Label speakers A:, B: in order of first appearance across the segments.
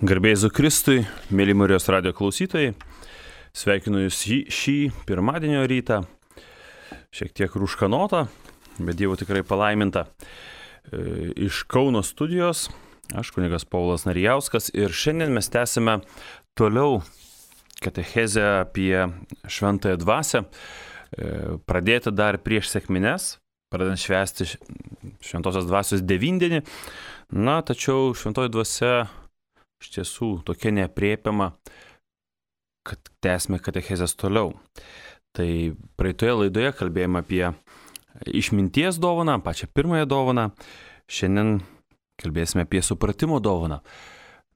A: Garbė Jėzui Kristui, mėly Marijos radijo klausytojai, sveikinu Jūs šį pirmadienio rytą, šiek tiek rūškanotą, bet Dievo tikrai palaiminta. Iš Kauno studijos, aš kunigas Paulas Narijauskas ir šiandien mes tęsime toliau katechezę apie šventąją dvasią, pradėti dar prieš sekmines, pradedant švęsti šventosios dvasios devindienį, tačiau šventoji dvasia iš tiesų tokia neaprėpiama, kad tęsime katechezės toliau. Tai praeitoje laidoje kalbėjome apie išminties dovaną, pačią pirmąją dovaną. Šiandien kalbėsime apie supratimo dovaną.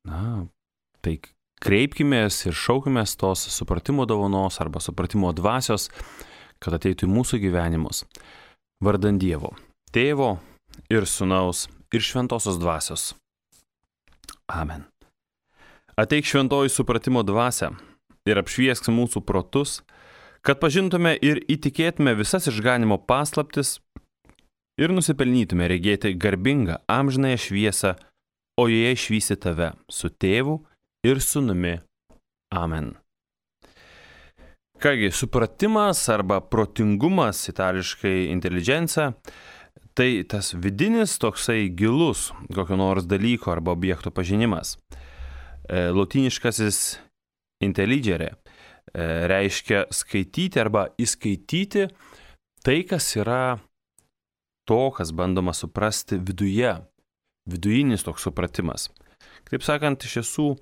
A: Tai kreipkimės ir šaukimės tos supratimo dovanos arba supratimo dvasios, kad ateitų į mūsų gyvenimus. Vardan Dievo, Tėvo ir Sūnaus ir Šventosios dvasios. Amen. Ateik šventoji supratimo dvasia ir apšviesk mūsų protus, kad pažintume ir įtikėtume visas išganimo paslaptis ir nusipelnytume regėti garbingą amžinąją šviesą, o joje išvysi tave su Tėvu ir Sūnumi. Amen. Kągi, supratimas arba protingumas, itališkai intelligencija, tai tas vidinis toksai gilus kokio nors dalyko arba objekto pažinimas. Lotyniškasis intelligere reiškia skaityti arba įskaityti tai, kas yra to, kas bandoma suprasti viduje, vidujinis toks supratimas. Kaip sakant, iš tiesų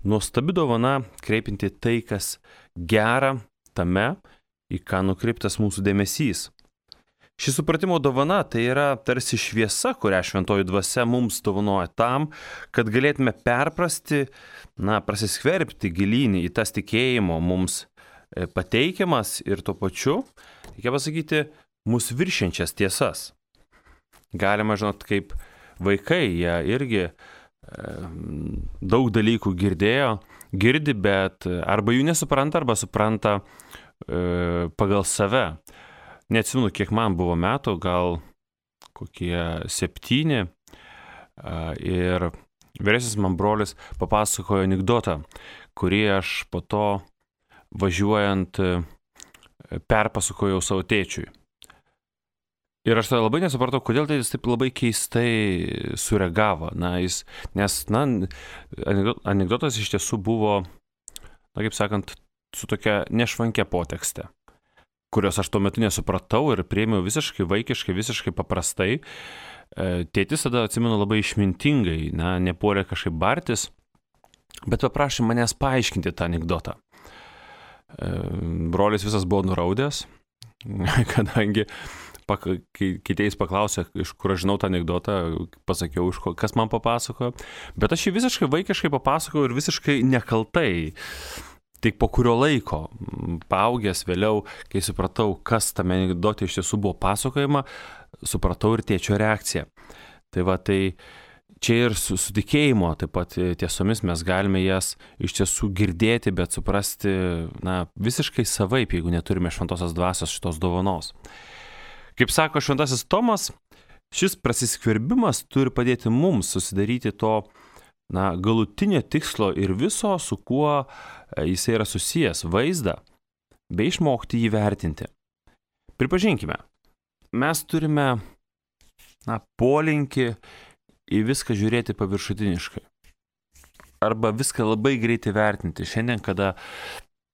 A: nuostabi dovana kreipinti tai, kas gera tame, į ką nukreiptas mūsų dėmesys. Ši supratimo dovana tai yra tarsi šviesa, kurią šventoji dvasia mums dovanoja tam, kad galėtume perprasti, prasiskverbti gilynį į tas tikėjimo mums pateikiamas ir tuo pačiu, reikia pasakyti, mus viršiančias tiesas. Galima, kaip vaikai, jie irgi daug dalykų girdi, bet arba jų nesupranta, arba supranta pagal save. Neatsimenu, kiek man buvo metų, gal kokie 7, ir vyresnis man brolis papasakojo anekdotą, kurį aš po to važiuojant perpasakojau savo tėčiui. Ir aš tada labai nesupratau, kodėl tai jis taip labai keistai sureagavo. Nes anekdotas iš tiesų buvo, kaip sakant, su tokia nešvankia potekste, kurios aš tuo metu nesupratau ir priėmiau visiškai vaikiškai, visiškai paprastai. Tėtis tada, atsimenu, labai išmintingai, nepuolė kažkaip bartis, bet paprašė manęs paaiškinti tą anekdotą. Brolis visas buvo nuraudęs, kadangi kai jis paklausė, iš kur aš žinau tą anekdotą, pasakiau, kas man papasakojo, bet aš jį visiškai vaikiškai papasakojau ir visiškai nekaltai. Tik po kurio laiko, paaugęs vėliau, kai supratau, kas tame anekdote iš tiesų buvo pasakojama, supratau ir tėčio reakciją. Tai čia ir su tikėjimo, taip pat tiesomis mes galime jas iš tiesų girdėti, bet suprasti visiškai savaip, jeigu neturime šventosios dvasios šitos dovanos. Kaip sako šventasis Tomas, šis prasiskverbimas turi padėti mums susidaryti to galutinio tikslo ir viso, su kuo jisai yra susijęs, vaizdą, bei išmokti jį vertinti. Pripažinkime, mes turime polinkį į viską žiūrėti paviršutiniškai. Arba viską labai greitai vertinti. Šiandien, kada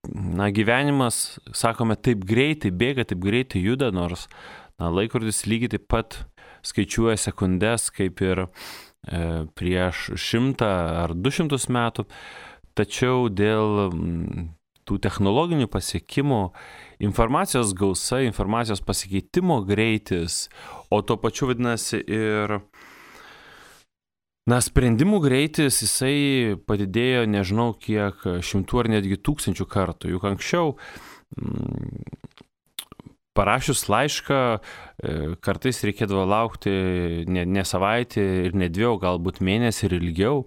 A: gyvenimas, sakome, taip greitai bėga, taip greitai juda, nors laikrodis lygiai taip pat skaičiuoja sekundes, kaip ir prieš 100 ar 200 metų, tačiau dėl tų technologinių pasiekimų, informacijos gausa, informacijos pasikeitimo greitis, o tuo pačiu vadinasi ir sprendimų greitis, jisai padidėjo nežinau kiek 100 ar netgi 1000 kartų. Juk anksčiau parašius laišką, kartais reikėdavo laukti ne savaitę ir ne 2, galbūt mėnesį ir ilgiau.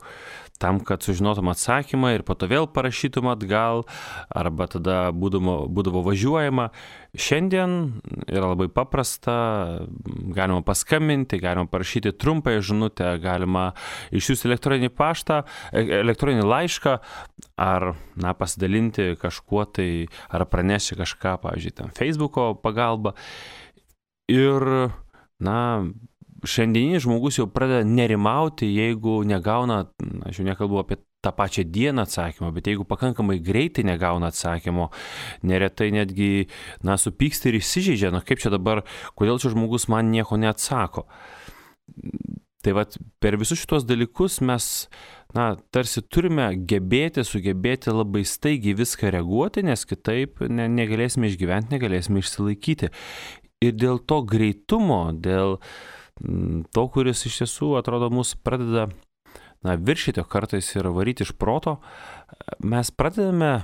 A: tam, kad sužinotum atsakymą ir po to vėl parašytum atgal, arba tada būdavo važiuojama. Šiandien yra labai paprasta, galima paskambinti, galima parašyti trumpąją žinutę, galima išsiųsti elektroninį laišką, ar pasidalinti kažkuo tai, ar pranešti kažką, pavyzdžiui, tam Facebooko pagalba. Ir, šiandieninis žmogus jau pradeda nerimauti, jeigu negauna, aš jau nekalbu apie tą pačią dieną atsakymą, bet jeigu pakankamai greitai negauna atsakymo, neretai netgi, supyksta ir įsižeidžia, kaip čia dabar, kodėl čia žmogus man nieko neatsako. Tai per visus šitos dalykus mes, tarsi turime sugebėti labai staigiai viską reaguoti, nes kitaip negalėsime išgyventi, negalėsime išsilaikyti. Ir dėl to greitumo, dėl to, kuris iš tiesų atrodo mus pradeda viršyti kartais ir varyti iš proto, mes pradedame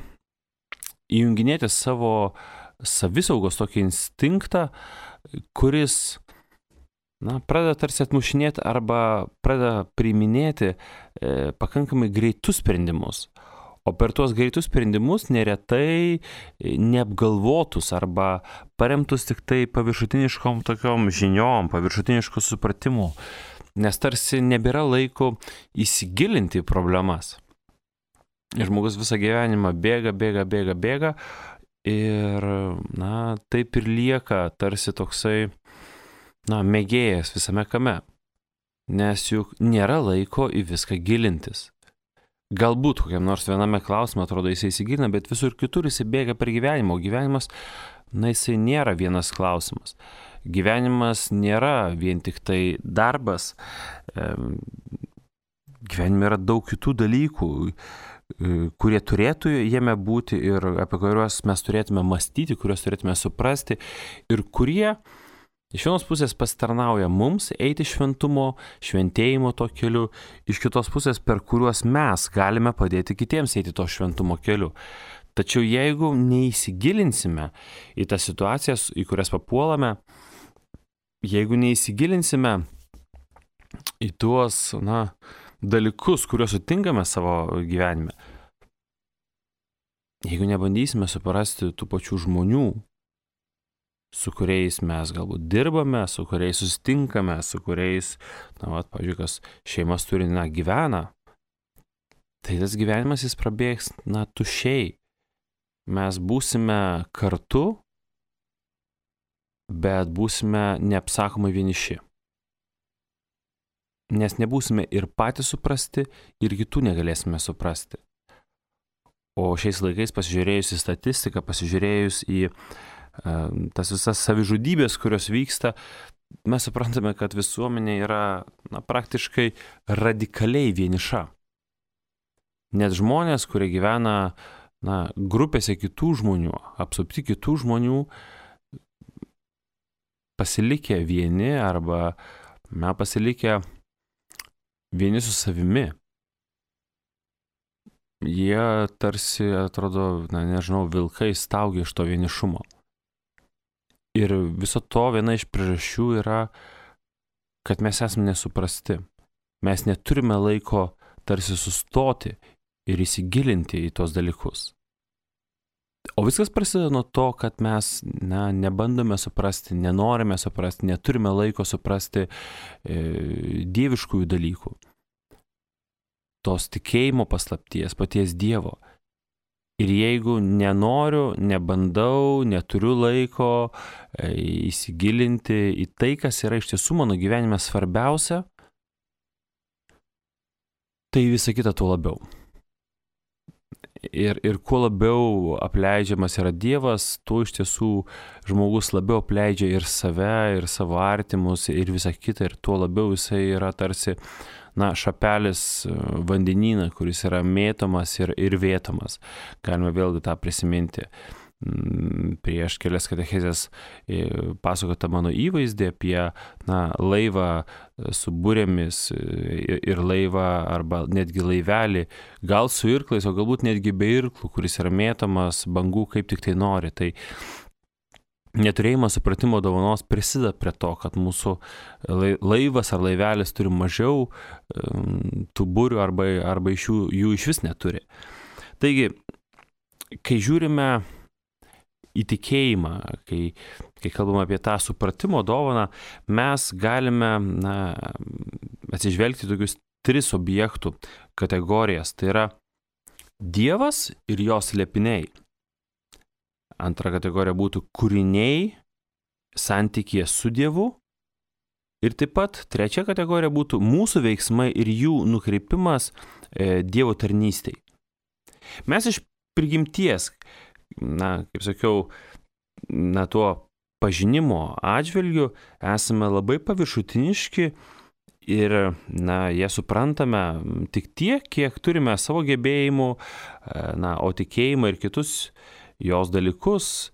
A: įjunginėti savo savisaugos tokį instinktą, kuris pradeda tarsi atmušinėti arba pradeda priiminėti pakankamai greitus sprendimus. O per tuos greitus sprendimus neretai neapgalvotus arba paremtus tik tai paviršutiniškom tokiom žiniom, paviršutiniškų supratimų, nes tarsi nebėra laiko įsigilinti į problemas. Ir žmogus visą gyvenimą bėga ir, taip ir lieka tarsi toksai, mėgėjas visame kame, nes juk nėra laiko į viską gilintis. Galbūt kokiam nors viename klausime atrodo jisai įsigilina, bet visur kitur jisai bėga per gyvenimą, o gyvenimas, jisai nėra vienas klausimas. Gyvenimas nėra vien tik tai darbas, gyvenime yra daug kitų dalykų, kurie turėtų jame būti ir apie kuriuos mes turėtume mąstyti, kuriuos turėtume suprasti ir kurie iš vienos pusės pasitarnauja mums eiti šventėjimo to keliu, iš kitos pusės per kuriuos mes galime padėti kitiems eiti to šventumo keliu. Tačiau jeigu neįsigilinsime į tas situacijas, į kurias papuolame, jeigu neįsigilinsime į tuos dalykus, kuriuos sutinkame savo gyvenime, jeigu nebandysime suprasti tų pačių žmonių, su kuriais mes galbūt dirbame, su kuriais susitinkame, su kuriais, pavyzdžiui, kas šeimas turi, gyvena, tai tas gyvenimas jis prabėgs, tuščiai. Mes būsime kartu, bet būsime neapsakomai vieniši. Nes nebūsime ir patys suprasti, ir kitų negalėsime suprasti. O šiais laikais pasižiūrėjus į statistiką, pasižiūrėjus į tas visas savižudybės, kurios vyksta, mes suprantame, kad visuomenė yra praktiškai radikaliai vieniša. Net žmonės, kurie gyvena grupėse kitų žmonių, apsupti kitų žmonių, pasilikę vieni arba pasilikę vieni su savimi. Jie tarsi atrodo, vilkai staugia iš to vienišumo. Ir viso to viena iš priežasčių yra, kad mes esame nesuprasti. Mes neturime laiko tarsi sustoti ir įsigilinti į tos dalykus. O viskas prasideda nuo to, kad mes nebandome suprasti, nenorime suprasti, neturime laiko suprasti dieviškųjų dalykų. Tos tikėjimo paslapties, paties Dievo. Ir jeigu nenoriu, nebandau, neturiu laiko įsigilinti į tai, kas yra iš tiesų mano gyvenime svarbiausia, tai visa kita tuo labiau. Ir kuo labiau apleidžiamas yra Dievas, tuo iš tiesų žmogus labiau apleidžia ir save, ir savo artimus, ir visą kitą, ir tuo labiau jisai yra tarsi šapelis vandenyną, kuris yra mėtomas ir vėtomas. Galime vėlgi tą prisiminti. Prieš kelias katechezės pasakota mano įvaizdį apie laivą su burėmis ir laivą arba netgi laivelį, gal su irklais, o galbūt netgi be irklų, kuris yra mėtomas bangų kaip tik tai nori. Tai neturėjimas supratimo dovanos prisideda prie to, kad mūsų laivas ar laivelis turi mažiau tų burių arba iš jų iš vis neturi. Taigi, kai žiūrime į tikėjimą, kai kalbame apie tą supratimo dovaną, mes galime atsižvelgti tokius 3 objektų kategorijas. Tai yra Dievas ir jo slėpiniai. Antra kategorija būtų kūriniai santykyje su Dievu. Ir taip pat trečia kategorija būtų mūsų veiksmai ir jų nukreipimas Dievo tarnystei. Mes iš prigimties, kaip sakiau, tuo pažinimo atžvilgiu esame labai paviršutiniški ir, jie suprantame tik tiek, kiek turime savo gebėjimų, o tikėjimą ir kitus jos dalykus,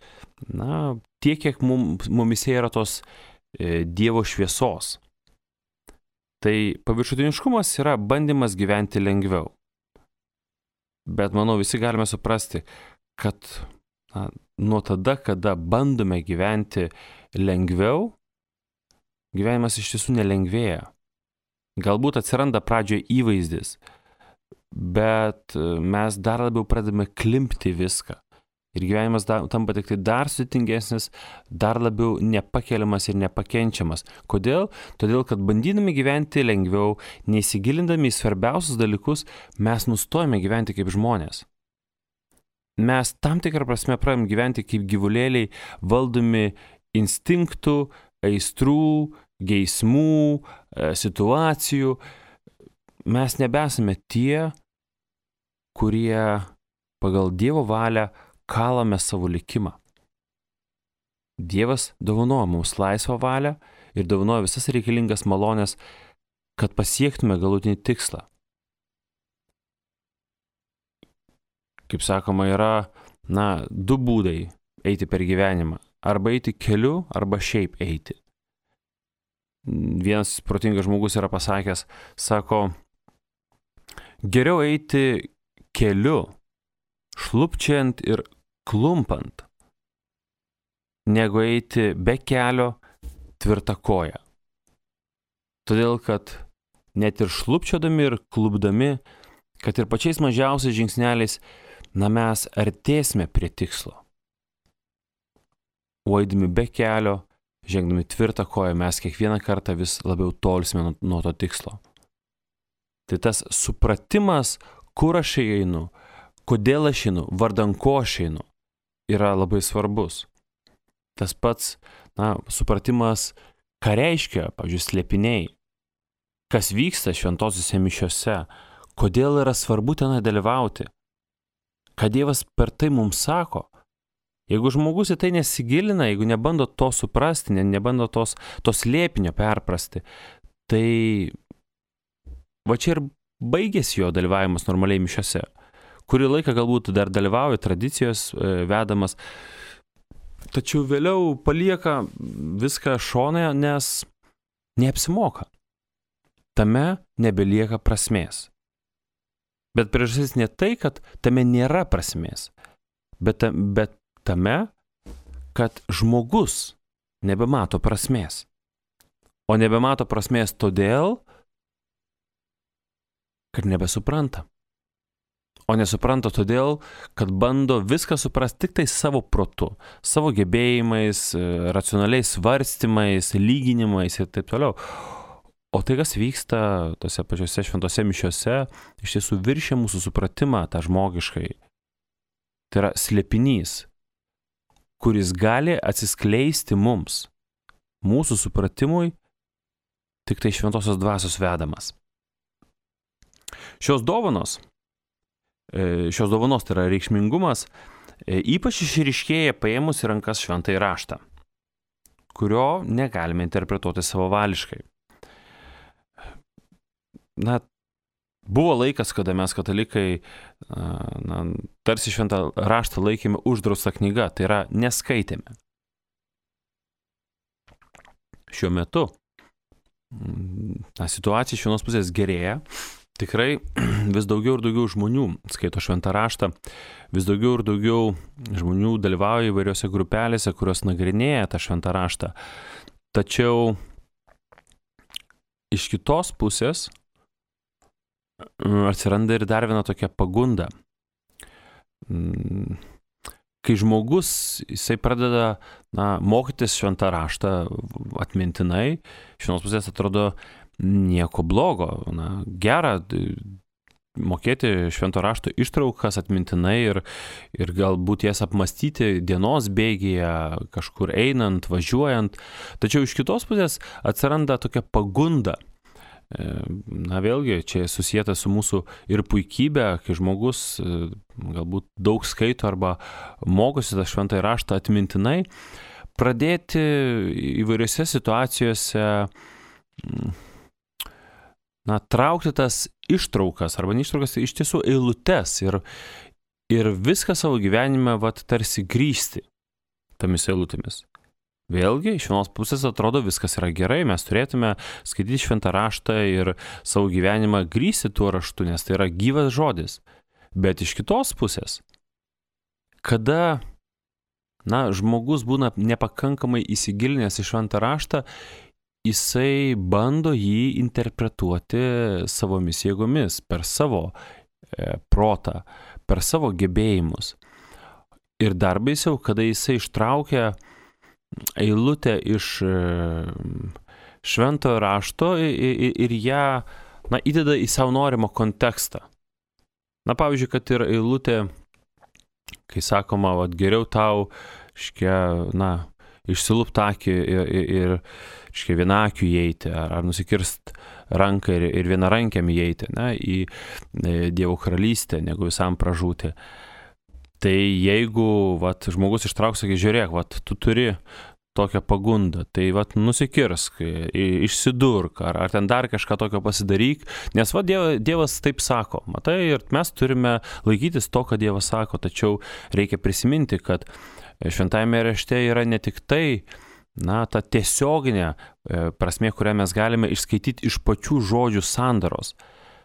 A: tiek, kiek mumise yra tos Dievo šviesos. Tai paviršutiniškumas yra bandymas gyventi lengviau. Bet manau, visi galime suprasti, kad nuo tada, kada bandome gyventi lengviau, gyvenimas iš tiesų nelengvėja. Galbūt atsiranda pradžioje įvaizdis, bet mes dar labiau pradedame klimpti viską. Ir gyvenimas tampa tik tai dar sudėtingesnis, dar labiau nepakeliamas ir nepakenčiamas. Kodėl? Todėl, kad bandydami gyventi lengviau, neįsigilindami į svarbiausius dalykus, mes nustojame gyventi kaip žmonės. Mes tam tikrą prasme pradedame gyventi kaip gyvulėliai, valdomi instinktų, aistrų, geismų, situacijų. Mes nebesame tie, kurie pagal Dievo valią kalame savo likimą. Dievas dovanoja mums laisvą valią ir dovanoja visas reikalingas malonės, kad pasiektume galutinį tikslą. Kaip sakoma, yra, 2 būdai eiti per gyvenimą. Arba eiti keliu, arba šiaip eiti. Vienas protingas žmogus yra pasakęs, sako, geriau eiti keliu, šlubčiant ir klumpant, negu eiti be kelio tvirta koja. Todėl, kad net ir šlubčiodami ir klupdami, kad ir pačiais mažiausiais žingsneliais, mes artėsime prie tikslo. O eidami be kelio, žengdami tvirtą koją, mes kiekvieną kartą vis labiau tolsime nuo to tikslo. Tai tas supratimas, kur aš einu, kodėl aš einu, vardan ko aš einu, yra labai svarbus. Tas pats, supratimas, ką reiškia, pavyzdžiui, slėpiniai, kas vyksta šventosiuose mišiose, kodėl yra svarbu tenai dalyvauti, ką Dievas per tai mums sako. Jeigu žmogus į tai nesigilina, jeigu nebando to suprasti, nebando tos slėpinio perprasti, tai va čia ir baigėsi jo dalyvavimas normaliai mišiose. Kurį laiką galbūt dar dalyvauja tradicijos vedamas, tačiau vėliau palieka viską šonoje, nes neapsimoka. Tame nebelieka prasmės. Bet priežastis ne tai, kad tame nėra prasmės, bet tame, kad žmogus nebemato prasmės. O nebemato prasmės todėl, kad nebesupranta. O nesupranta todėl, kad bando viską suprasti tik tai savo protu, savo gebėjimais, racionaliais svarstymais, lyginimais ir taip toliau. O tai, kas vyksta tose pačiose šventose mišiose, iš tiesų viršia mūsų supratimą tą žmogiškai. Tai yra slėpinys, kuris gali atsiskleisti mums, mūsų supratimui, tik tai šventosios dvasios vedamas. Šios dovanos tai yra reikšmingumas, ypač išryškėja paėmus į rankas šventąjį raštą, kurio negalime interpretuoti savavališkai. Buvo laikas, kada mes katalikai tarsi šventą raštą laikėme uždraustą knygą, tai yra neskaitėme. Šiuo metu situacija iš vienos pusės gerėja, Tikrai vis daugiau ir daugiau žmonių skaito šventą raštą, vis daugiau ir daugiau žmonių dalyvauja įvairiose grupelėse, kurios nagrinėja tą šventą raštą. Tačiau iš kitos pusės atsiranda ir dar viena tokia pagunda. Kai žmogus, jisai pradeda mokytis šventą raštą atmintinai, iš vienos pusės atrodo nieko blogo, gera mokėti švento rašto ištraukas atmintinai ir galbūt jas apmastyti dienos bėgyje, kažkur einant, važiuojant. Tačiau iš kitos pusės atsiranda tokia pagunda. Vėlgi, čia susijęta su mūsų ir puikybė, kai žmogus galbūt daug skaito arba mokosi tą šventąjį raštą atmintinai, pradėti įvairiose situacijose traukti tas ištraukas, arba ne ištraukas, tai iš tiesų eilutes ir viską savo gyvenime tarsi grįsti tomis eilutėmis. Vėlgi, iš vienos pusės atrodo viskas yra gerai, mes turėtume skaityti šventą raštą ir savo gyvenimą grįsti tuo raštu, nes tai yra gyvas žodis. Bet iš kitos pusės, kada žmogus būna nepakankamai įsigilinęs į šventą raštą, jisai bando jį interpretuoti savomis jėgomis, per savo protą, per savo gebėjimus. Ir dar baisiau, kada jisai ištraukia eilutę iš šventojo rašto ir ją įdeda į savo norimą kontekstą. Pavyzdžiui, kad ir eilutė, kai sakoma, geriau tau, išsilupt akį ir vienakiu įeiti, ar nusikirst ranką ir vienarankiam įeiti į Dievo karalystę, negu visam pražūti. Tai jeigu žmogus ištrauks, sakė, žiūrėk, tu turi tokią pagundą, tai nusikirsk, išsidurk, ar ten dar kažką tokio pasidaryk, nes Dievas taip sako, matai, ir mes turime laikytis to, ką Dievas sako, tačiau reikia prisiminti, kad šventajame rašte yra ne tik tai, ta tiesioginė prasmė, kurią mes galime išskaityti iš pačių žodžių sandaros,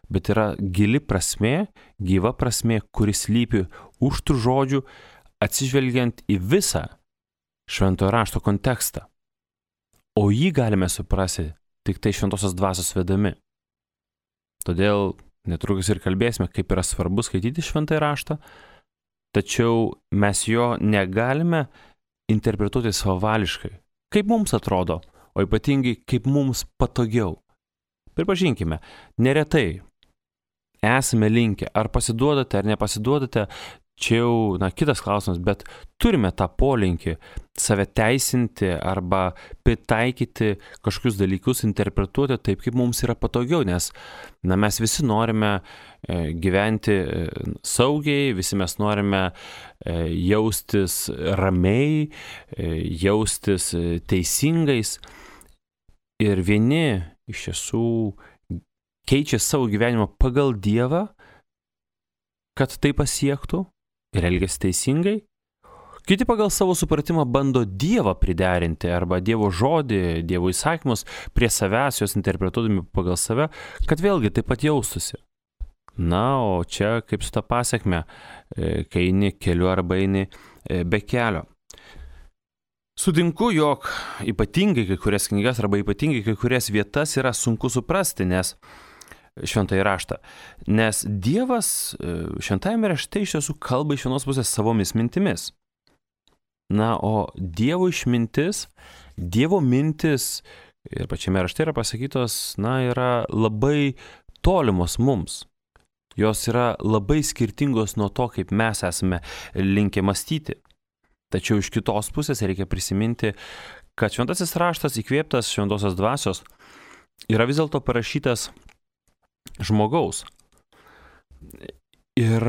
A: bet yra gili prasmė, gyva prasmė, kuris slypi už tų žodžių, atsižvelgiant į visą šventojo rašto kontekstą. O jį galime suprasti tik tai šventosios dvasios vedami. Todėl netrukus ir kalbėsime, kaip yra svarbu skaityti šventąjį raštą, tačiau mes jo negalime interpretuoti savavališkai, kaip mums atrodo, o ypatingai kaip mums patogiau. Pripažinkime, neretai esame linkę, ar pasiduodate, ar nepasiduodate, čia jau kitas klausimas, bet turime tą polinkį save teisinti arba pritaikyti kažkokius dalykus, interpretuoti taip, kaip mums yra patogiau, nes mes visi norime gyventi saugiai, visi mes norime jaustis ramiai, jaustis teisingais ir vieni iš tiesų keičia savo gyvenimą pagal Dievą, kad tai pasiektų ir elgiasi teisingai. Kiti pagal savo supratimą bando Dievą priderinti arba Dievo žodį, Dievo įsakymus prie savęs, juos interpretuodami pagal save, kad vėlgi taip pat jaustųsi. O čia kaip su ta pasekme, kai eini keliu arba eini be kelio. Sutinku, jog ypatingai kai kurias knygas arba ypatingai kai kurias vietas yra sunku suprasti, nes šventąjį raštą. Nes Dievas šventajame rašte iš tiesų kalba iš vienos pusės savomis mintimis. O Dievo išmintis, Dievo mintis ir pačiame rašte yra pasakytos, yra labai tolimos mums. Jos yra labai skirtingos nuo to, kaip mes esame linkę mąstyti. Tačiau iš kitos pusės reikia prisiminti, kad šventasis raštas įkvėptas šventosios dvasios yra vis dėlto parašytas žmogaus. Ir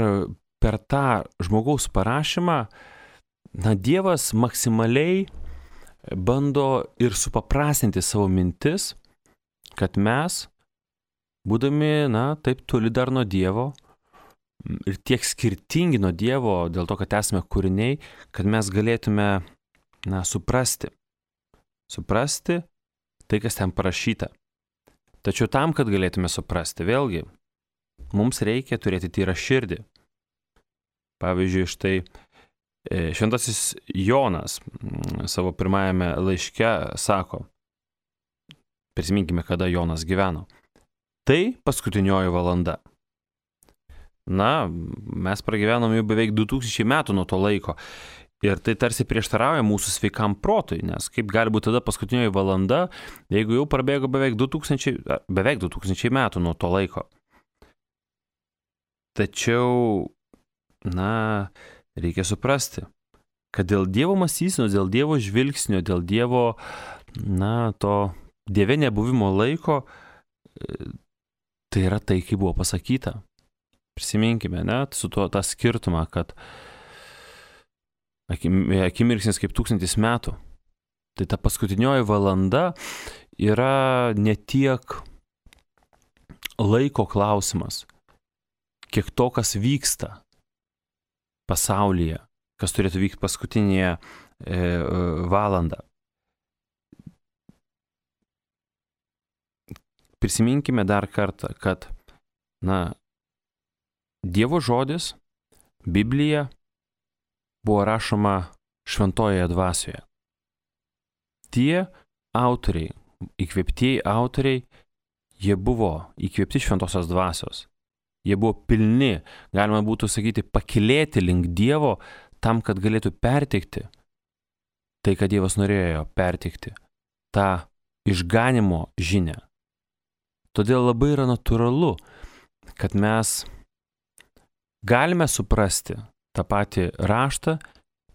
A: per tą žmogaus parašymą, Dievas maksimaliai bando ir supaprastinti savo mintis, kad mes, būdami, taip toli dar nuo Dievo ir tiek skirtingi nuo Dievo, dėl to, kad esame kūriniai, kad mes galėtume, suprasti tai, kas ten parašyta. Tačiau tam, kad galėtume suprasti, vėlgi, mums reikia turėti tyrą širdį. Pavyzdžiui, štai šventasis Jonas savo pirmajame laiške sako, prisiminkime, kada Jonas gyveno. Tai paskutinioji valanda. Na, mes pragyvenom jau beveik 2000 metų nuo to laiko. Ir tai tarsi prieštarauja mūsų sveikam protui, nes kaip gali būti tada paskutinioji valanda, jeigu jau prabėgo beveik 2000 metų nuo to laiko. Tačiau, na, reikia suprasti, kad dėl Dievo mąstysenos, dėl Dievo žvilgsnio, dėl Dievo, na, to Dieve nebuvimo laiko, tai yra tai, kaip buvo pasakyta. Prisiminkime, net su tuo tą skirtumą, kad akimirksnis kaip 1000 metų. Tai ta paskutinioji valanda yra ne tiek laiko klausimas, kiek to, kas vyksta pasaulyje, kas turėtų vykti paskutinėje valandą. Prisiminkime dar kartą, kad, na, Dievo žodis, Biblija, buvo rašoma šventojoje dvasioje. Tie autoriai, įkvėptieji autoriai, jie buvo įkvėpti šventosios dvasios. Jie buvo pilni, galima būtų sakyti, pakilėti link Dievo tam, kad galėtų perteikti tai, ką Dievas norėjo perteikti, tą išganimo žinią. Todėl labai yra natūralu, kad mes galime suprasti tą patį raštą,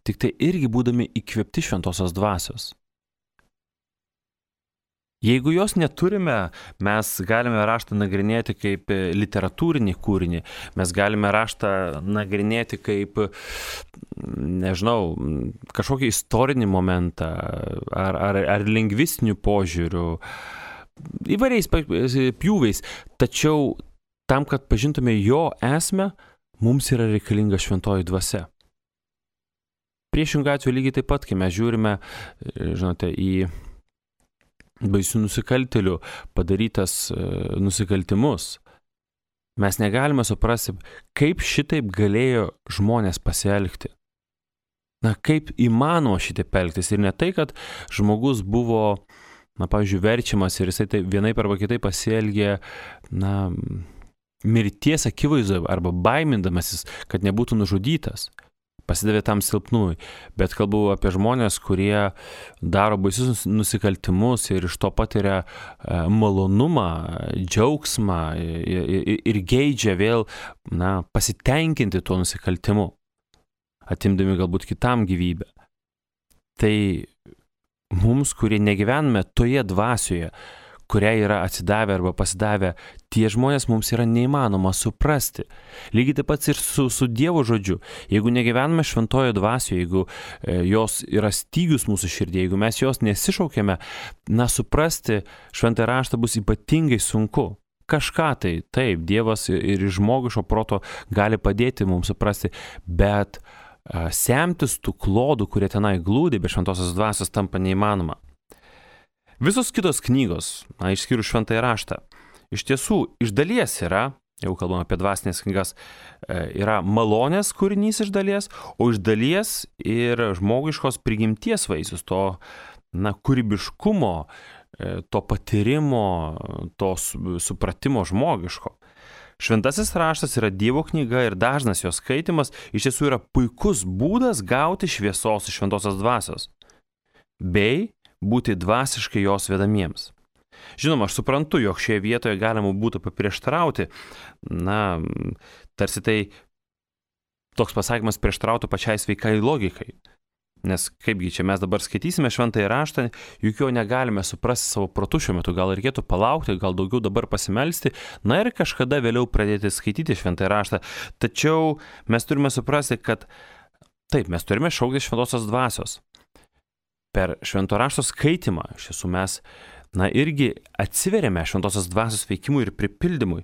A: tik tai irgi būdami įkvėpti šventosios dvasios. Jeigu jos neturime, mes galime raštą nagrinėti kaip literatūrinį kūrinį, mes galime raštą nagrinėti kaip, nežinau, kažkokį istorinį momentą ar lingvistinių požiūrių, įvairiais pjūviais. Tačiau tam, kad pažintume jo esmę, mums yra reikalinga šventoji dvasia. Priešingų atveju lygiai taip pat, kai mes žiūrime, žinote, į baisių nusikaltėlių padarytas nusikaltimus, mes negalime suprasti, kaip šitaip galėjo žmonės pasielgti. Na, kaip įmanoma šitaip elgtis. Ir ne tai, kad žmogus buvo, na, pavyzdžiui, verčiamas ir jisai tai vienaip arba kitaip pasielgė, na, mirties akivaizdoje arba baimindamasis, kad nebūtų nužudytas, pasidavė tam silpnumui. Bet kalbu apie žmonės, kurie daro baisius nusikaltimus ir iš to patiria malonumą, džiaugsmą ir geidžia vėl, na, pasitenkinti tuo nusikaltimu, atimdami galbūt kitam gyvybę. Tai mums, kurie negyvename toje dvasioje, kuriai yra atsidavę arba pasidavę, tie žmonės mums yra neįmanoma suprasti. Lygiai taip pat ir su Dievo žodžiu. Jeigu negyvename šventojo dvasioje, jeigu jos yra stygius mūsų širdėje, jeigu mes jos nesišaukėme, na, suprasti šventąjį raštą bus ypatingai sunku. Kažką tai, taip, Dievas ir iš žmogiško proto gali padėti mums suprasti, bet semtis tų klodų, kurie tenai glūdi, be šventosios dvasios tampa neįmanoma. Visos kitos knygos, na, išskyrus šventąjį raštą, iš tiesų, iš dalies yra, jau kalbam apie dvasinės knygas, yra malonės kūrinys iš dalies, o iš dalies ir žmogiškos prigimties vaisius, to, na, kūrybiškumo, to patyrimo, to supratimo žmogiško. Šventasis raštas yra Dievo knyga ir dažnas jos skaitimas iš tiesų yra puikus būdas gauti šviesos iš šventosios dvasios, bei būti dvasiškai jos vedamiems. Žinoma, aš suprantu, jog šioje vietoje galima būtų paprieštarauti, na, tarsi tai toks pasakymas prieštarautų pačiai sveikai logikai. Nes kaipgi čia mes dabar skaitysime šventąjį raštą, juk jo negalime suprasti savo protu šiuo metu, gal reikėtų palaukti, gal daugiau dabar pasimelsti, na ir kažkada vėliau pradėti skaityti šventąjį raštą. Tačiau mes turime suprasti, kad taip, mes turime šaukti šventosios dvasios. Per švento rašto skaitimą, iš tiesų mes, na, irgi atsiveriame šventosios dvasios veikimui ir pripildymui.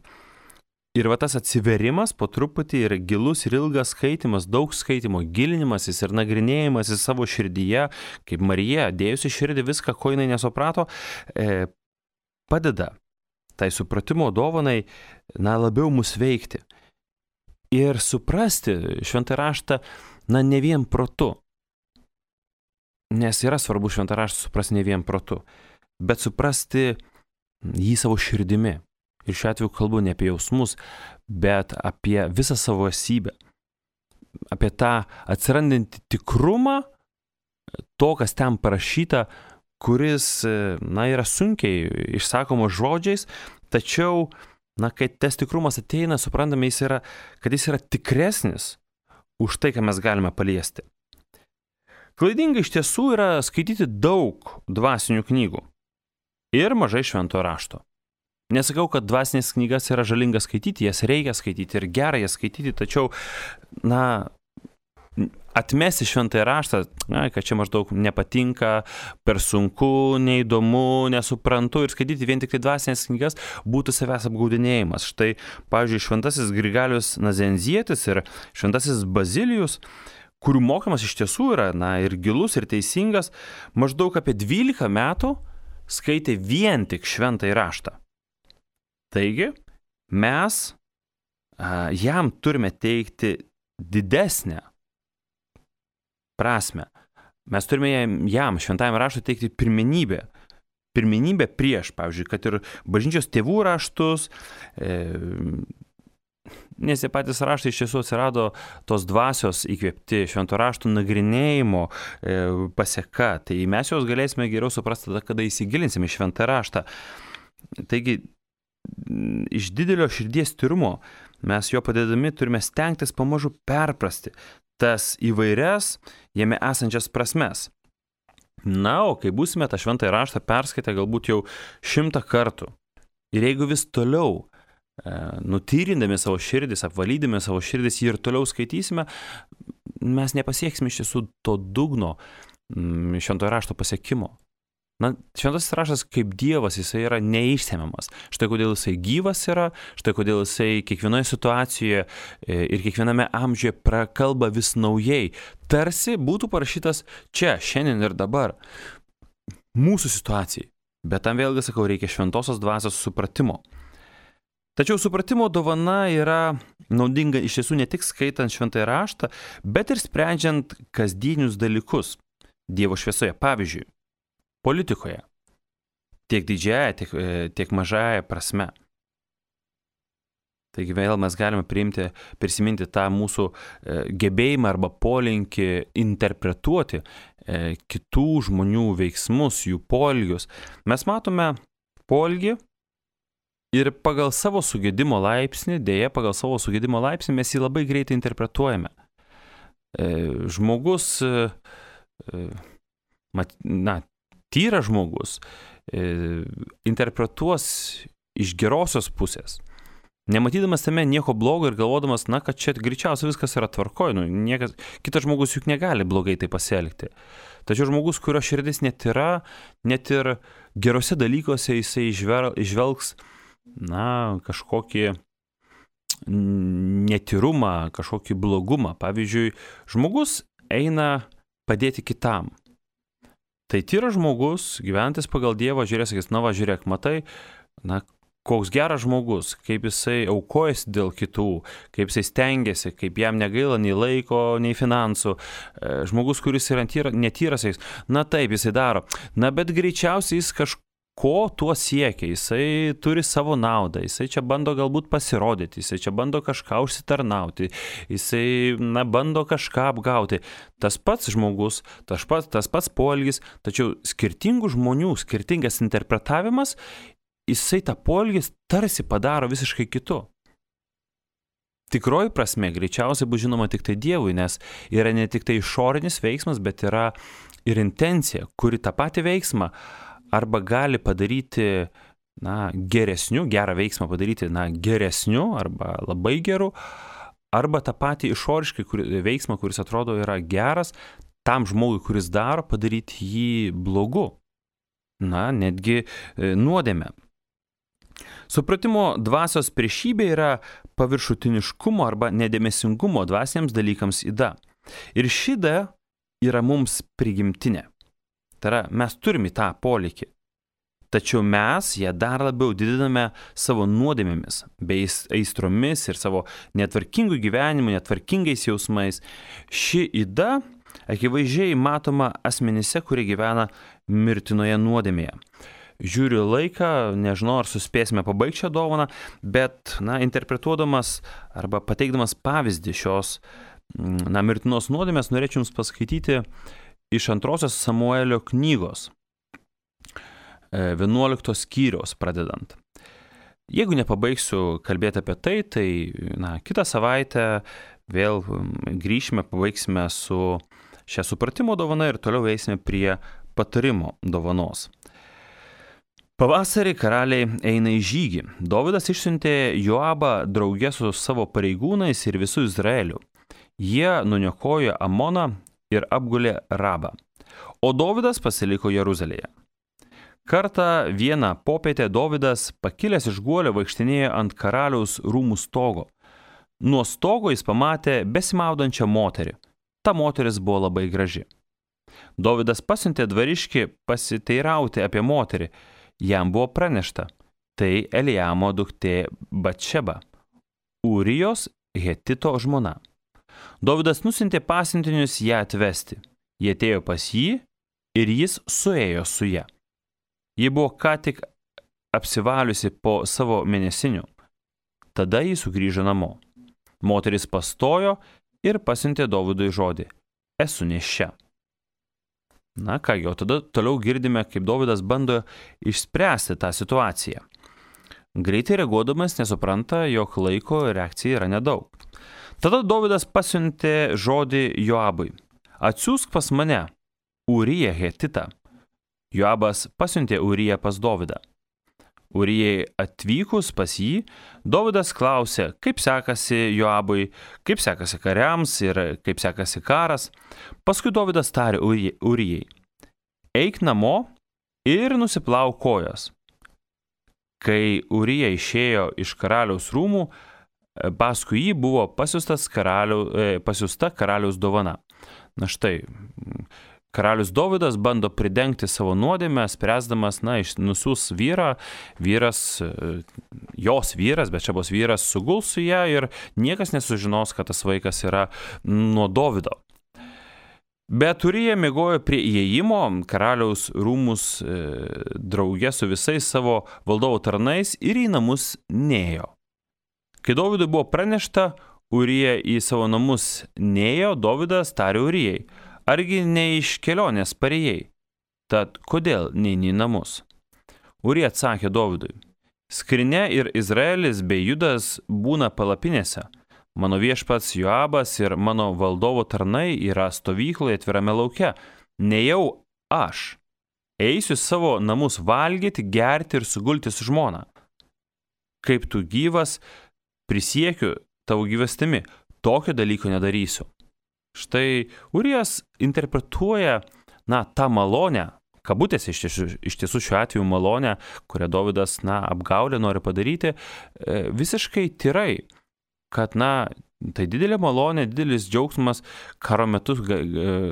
A: Ir va tas atsiverimas po truputį yra gilus ir ilgas skaitimas, daug skaitimo, gilinimasis ir nagrinėjimasis savo širdyje, kaip Marija, dėjusi širdį viską, ko jinai nesuprato, padeda tai supratimo dovanai, labiau mus veikti. Ir suprasti šventą raštą, ne vien protu. Nes yra svarbu šventą raštą suprasti ne vien protu, bet suprasti jį savo širdimi. Ir šiuo atveju kalbu ne apie jausmus, bet apie visą savo esybę. Apie tą atsirandantį tikrumą, to, kas ten parašyta, kuris, yra sunkiai išsakomas žodžiais, tačiau, kai tas tikrumas ateina, suprantame, kad jis yra tikresnis už tai, ką mes galime paliesti. Klaidinga iš tiesų yra skaityti daug dvasinių knygų ir mažai švento rašto. Nesakau, kad dvasinės knygas yra žalinga skaityti, jas reikia skaityti ir gerai jas skaityti, tačiau, atmesti šventąjį raštą, kad čia maždaug nepatinka, per sunku, neįdomu, nesuprantu ir skaityti vien tik tai dvasinės knygas būtų savęs apgaudinėjimas. Štai, pavyzdžiui, šventasis Grigalius Nazenzietis ir šventasis Bazilijus, kurių mokymas iš tiesų yra, ir gilus, ir teisingas, maždaug apie 12 metų skaitė vien tik šventąjį raštą. Taigi, mes jam turime teikti didesnę prasme. Mes turime jam, šventajam raštui, teikti pirmenybę. Pirmenybę prieš, pavyzdžiui, kad ir bažnyčios tėvų raštus, nes jie patys raštai iš tiesų atsirado tos dvasios įkvėpti švento raštų nagrinėjimo paseka. Tai mes jos galėsime geriau suprasti tada, kada įsigilinsime į šventą raštą. Taigi, iš didelio širdies tyrumo mes jo padedami turime stengtis pamažu perprasti tas įvairias jame esančias prasmes. O kai būsime tą šventąjį raštą perskaitę galbūt jau 100 kartų ir jeigu vis toliau nutyrindami savo širdis, apvalydami savo širdis jį ir toliau skaitysime, mes nepasieksime iš tiesų to dugno šventojo rašto pasiekimo. Šventasis raštas kaip Dievas, jisai yra neišsemiamas. Štai kodėl jisai gyvas yra, štai kodėl jisai kiekvienoje situacijoje ir kiekviename amžiuje prakalba vis naujai. Tarsi būtų parašytas čia, šiandien ir dabar. Mūsų situacijai. Bet tam vėlgi, sakau, reikia šventosios dvasios supratimo. Tačiau supratimo dovana yra naudinga iš tiesų ne tik skaitant šventąjį raštą, bet ir sprendžiant kasdienius dalykus Dievo šviesoje. Pavyzdžiui, politikoje, tiek didžiaja, tiek mažaja prasme. Taigi vėl mes galime prisiminti tą mūsų gebėjimą arba polinkį interpretuoti kitų žmonių veiksmus, jų poelgius. Mes matome poelgį ir pagal savo sugedimo laipsnį, mes jį labai greitai interpretuojame. Žmogus, tyras žmogus interpretuos iš gerosios pusės, nematydamas tame nieko blogo ir galvodamas, kad čia greičiausiai viskas yra tvarkoj, kitas žmogus juk negali blogai tai pasielgti. Tačiau žmogus, kurio širdis netyra, net ir gerose dalykuose jisai išvelgs, kažkokį netyrumą, kažkokį blogumą. Pavyzdžiui, žmogus eina padėti kitam. Tai tyras žmogus, gyventis pagal Dievą, sakys, žiūrėk, matai, koks geras žmogus, kaip jisai aukojasi dėl kitų, kaip jisai stengiasi, kaip jam negaila nei laiko, nei finansų. Žmogus, kuris yra netyras, sakys, taip, jisai daro. Bet greičiausiai jis kažko tuo siekia, jisai turi savo naudą, jisai čia bando galbūt pasirodyti, jisai čia bando kažką užsitarnauti, jisai bando kažką apgauti. Tas pats žmogus, tas pats poelgis, tačiau skirtingų žmonių, skirtingas interpretavimas, jisai tą poelgis tarsi padaro visiškai kitu. Tikroji prasme greičiausiai bus žinoma tik tai Dievui, nes yra ne tik tai išorinis veiksmas, bet yra ir intencija, kuri tą patį veiksmą arba gali padaryti geresniu, gerą veiksmą padaryti geresniu arba labai geru, arba tą patį išoriškai veiksmą, kuris atrodo yra geras, tam žmogui, kuris daro, padaryti jį blogu. Netgi nuodėme. Supratimo dvasios priešybė yra paviršutiniškumo arba nedėmesingumo dvasiniams dalykams yda. Ir ši yda yra mums prigimtinė. Tai yra, mes turime tą polėkį. Tačiau mes ją dar labiau didiname savo nuodėmėmis, bei aistromis ir savo netvarkingų gyvenimų, netvarkingais jausmais. Ši yda akivaizdžiai matoma asmenyse, kurie gyvena mirtinoje nuodėmėje. Žiūriu laiką, nežinau, ar suspėsime pabaigti šią dovaną, bet, interpretuodamas arba pateikdamas pavyzdį šios, mirtinos nuodėmės, norėčiau jums paskaityti iš 2 Samuelio knygos, 11 skyriaus pradedant. Jeigu nepabaigsiu kalbėti apie tai, kitą savaitę vėl grįšime, pabaigsime su šią supratimo dovaną ir toliau eisime prie patarimo dovanos. Pavasarį karaliai eina į žygį. Dovydas išsiuntė Joabą drauge su savo pareigūnais ir visų Izraeliu. Jie nuniokojo Amoną ir apgulė Rabą. O Dovydas pasiliko Jeruzalėje. Kartą vieną popietę Dovydas, pakilęs iš guolio, vaikštinėjo ant karaliaus rūmų stogo. Nuo stogo jis pamatė besimaudančią moterį. Ta moteris buvo labai graži. Dovydas pasiuntė dvariškį pasiteirauti apie moterį. Jam buvo pranešta, tai Eliamo duktė Batšeba, Urijos Hetito žmona. Dovydas nusiuntė pasiuntinius ją atvesti. Jie atėjo pas jį ir jis suėjo su ja. Ji buvo ką tik apsivaliusi po savo mėnesinių. Tada jis sugrįžo namo. Moteris pastojo ir pasiuntė Dovydui žodį: esu nėščia. O tada toliau girdime, kaip Dovydas bando išspręsti tą situaciją. Greitai reaguodamas nesupranta, jog laiko reakcija yra nedaug. Tada Dovydas pasiuntė žodį Joabui: atsiųsk pas mane Uriją Hetitą. Joabas pasiuntė Uriją pas Dovydą. Urijai atvykus pas jį, Dovydas klausė, kaip sekasi Joabui, kaip sekasi kariams ir kaip sekasi karas. Paskui Dovydas tarė Urijai: eik namo ir nusiplauk kojas. Kai Urija išėjo iš karaliaus rūmų, paskui jį buvo pasiusta karaliaus dovana. Štai, karalius Dovydas bando pridengti savo nuodėmę, spręsdamas, nusiųs vyrą, jos vyras, bet čia bus vyras, suguls su ją ir niekas nesužinos, kad tas vaikas yra nuo Dovydo. Bet Urija miegojo prie įėjimo karaliaus rūmus drauge su visais savo valdovo tarnais ir į namus nėjo. Kai Dovydui buvo pranešta, Urija į savo namus nėjo, Dovydas tarė Urijai: argi ne iš kelionės parėjai? Tad kodėl neini į namus? Urija atsakė Dovydui: skrynia ir Izraelis bei Judas būna palapinėse. Mano viešpats Joabas ir mano valdovo tarnai yra stovykloje atvirame lauke. Nejau aš. Eisiu savo namus valgyti, gerti ir sugulti su žmona. Kaip tu gyvas, prisiekiu tavo gyvastimi, tokio dalyko nedarysiu. Štai Urijas interpretuoja, tą malonę, kabutėse iš tiesų šiuo atveju malonę, kurią Dovydas, apgaulę nori padaryti, visiškai tyrai, kad, tai didelė malonė, didelis džiaugsmas karo metu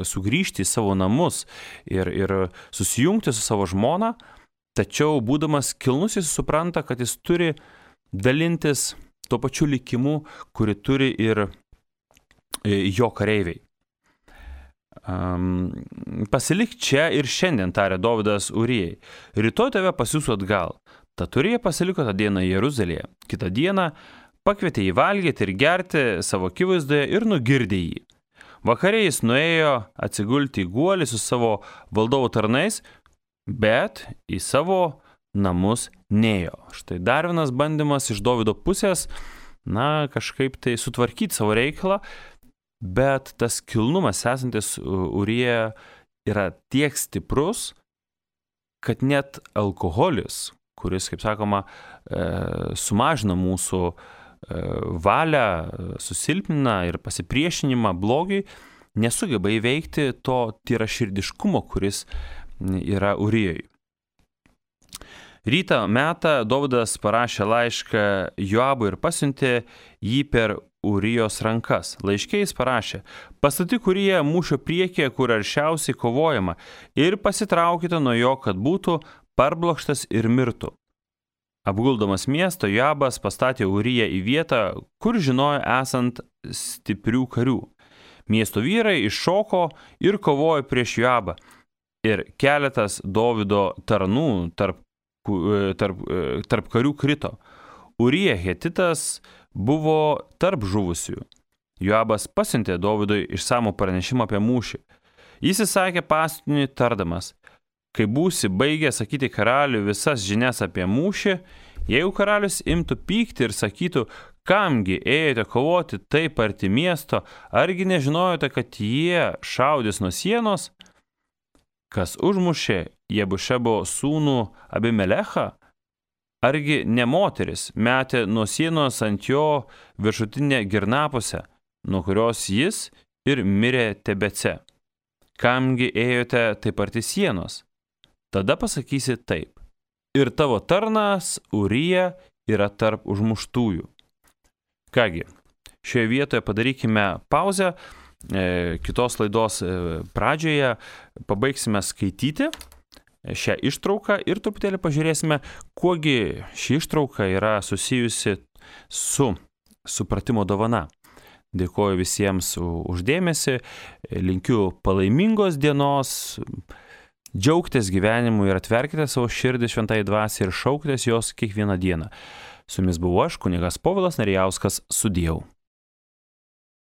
A: sugrįžti į savo namus ir susijungti su savo žmona, tačiau būdamas kilnus jis supranta, kad jis turi dalintis tuo pačiu likimu, kurį turi ir jo kareiviai. Pasilik čia ir šiandien, tarė Dovydas Urijai. Rytoj tave pasiųsiu atgal. Tad Urija pasiliko tą dieną Jeruzalėje. Kitą dieną pakvietė jį valgyti ir gerti savo akivaizdoje ir nugirdė jį. Vakare jis nuėjo atsigulti į guolį su savo valdovo tarnais, bet į savo namus nėjo. Štai dar vienas bandymas iš Dovydo pusės, kažkaip tai sutvarkyti savo reikalą, bet tas kilnumas esantis Urijoje yra tiek stiprus, kad net alkoholis, kuris, kaip sakoma, sumažina mūsų valią, susilpnina ir pasipriešinimą blogiui, nesugeba įveikti to tyraširdiškumo, kuris yra Urijoj. Rytą metą Dovydas parašė laišką Joabui ir pasiuntė jį per Urijos rankas. Laiške jis parašė: pastatyk Uriją mūšio priekyje, kur aršiausiai kovojama, ir pasitraukite nuo jo, kad būtų parblokštas ir mirtų. Apguldamas miesto, Joabas pastatė Uriją į vietą, kur žinojo esant stiprių karių. Miesto vyrai iššoko ir kovojo prieš Joabą. Ir keletas Dovydo tarnų tarp karių krito. Urija Hetitas buvo tarp žuvusiųjų. Joabas pasiuntė Dovydui išsamų pranešimą apie mūšį. Jis įsakė pasiuntiniui tardamas: kai būsi baigę sakyti karaliui visas žinias apie mūšį, jeigu karalius imtų pykti ir sakytų, kamgi ėjote kovoti taip arti miesto, argi nežinojote, kad jie šaudys nuo sienos? Kas užmušė Jebušebo sūnų Abimelechą? Argi ne moteris metė nuo sienos ant jo viršutinę girnapusę, nuo kurios jis ir mirė Tebece? Kamgi ėjote taip arti sienos? Tada pasakysi taip: ir tavo tarnas Urija yra tarp užmuštųjų. Kągi, šioje vietoje padarykime pauzę. Kitos laidos pradžioje pabaigsime skaityti šią ištrauką ir truputėlį pažiūrėsime, kuogi ši ištrauka yra susijusi su supratimo dovana. Dėkoju visiems už dėmesį, linkiu palaimingos dienos, džiaugtis gyvenimu ir atverkite savo širdį šventai dvasiai ir šaukitės jos kiekvieną dieną. Su jumis buvau aš, kunigas Povilas Narijauskas, sudieu.